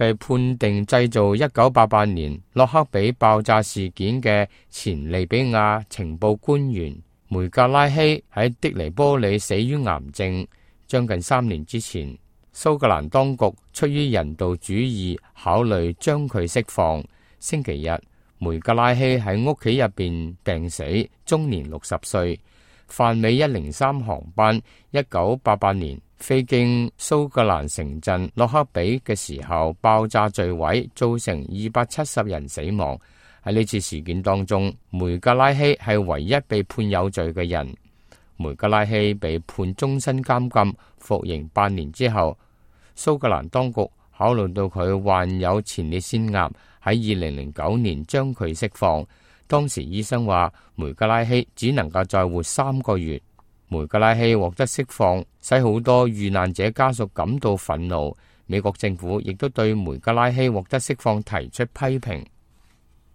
被判定製造1988年洛克比爆炸事件嘅前利比亞情報官員梅格拉希喺的尼波里死於癌症。將近3年之前，蘇格蘭當局出於人道主義考慮將佢釋放。星期日，梅格拉希喺屋企入邊病死，終年60歲。泛美103航班1988年飛經蘇格蘭城鎮洛克比嘅時候爆炸墜毀，造成270人死亡。喺呢次事件當中，梅格拉希係唯一被判有罪嘅人。梅格拉希被判終身監禁，服刑8年之後，蘇格蘭當局考慮到佢患有前列腺癌，喺2009年將佢釋放。當時醫生話梅格拉希只能夠再活3個月。梅格拉希獲得釋放，使好多遇難者家屬感到憤怒。美國政府亦都對梅格拉希獲得釋放提出批評。